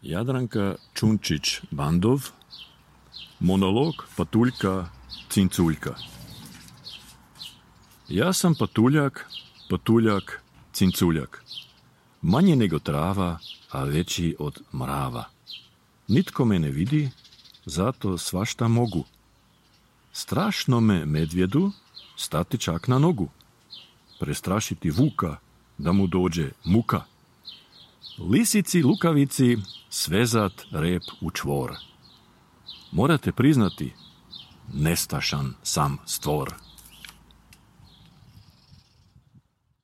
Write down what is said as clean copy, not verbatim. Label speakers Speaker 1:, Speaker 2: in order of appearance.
Speaker 1: Jadranka Čunčić-Bandov. Monolog Patuljka Cinculjka. Ja sam patuljak, patuljak, cinculjak. Manje nego trava, a veći od mrava. Nitko me ne vidi, zato svašta mogu. Strašno me medvjedu stati čak na nogu. Prestrašiti vuka, da mu dođe muka. Lisici lukavici svezat rep u čvor. Morate priznati, nestašan sam stvor.